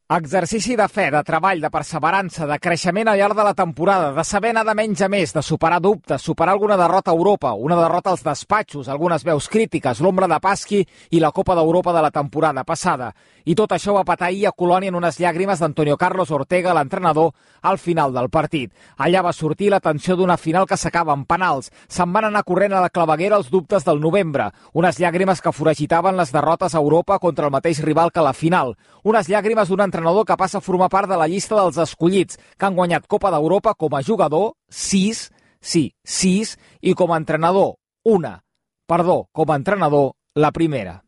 Exercici de fe, de treball, de perseverança, de creixement al llarg de la temporada, de saber anar de menys a més, de superar dubtes, superar alguna derrota a Europa, una derrota als despatxos, algunes veus crítiques, l'ombra de Pasqui i la Copa d'Europa de la temporada passada. I tot això va petar ahir a Colònia en unes llàgrimes d'Antonio Carlos Ortega, l'entrenador, al final del partit. Allà va sortir la tensió d'una final que s'acaba en penals. Se'n van anar corrent a la claveguera els dubtes del novembre. Unes llàgrimes que foragitaven les derrotes a Europa contra el mateix rival que la final. Unes llàgrimes d'un entrenador que passa a formar part de la llista dels escollits, que han guanyat Copa d'Europa com a jugador, 6, i com a entrenador, com a entrenador, la primera.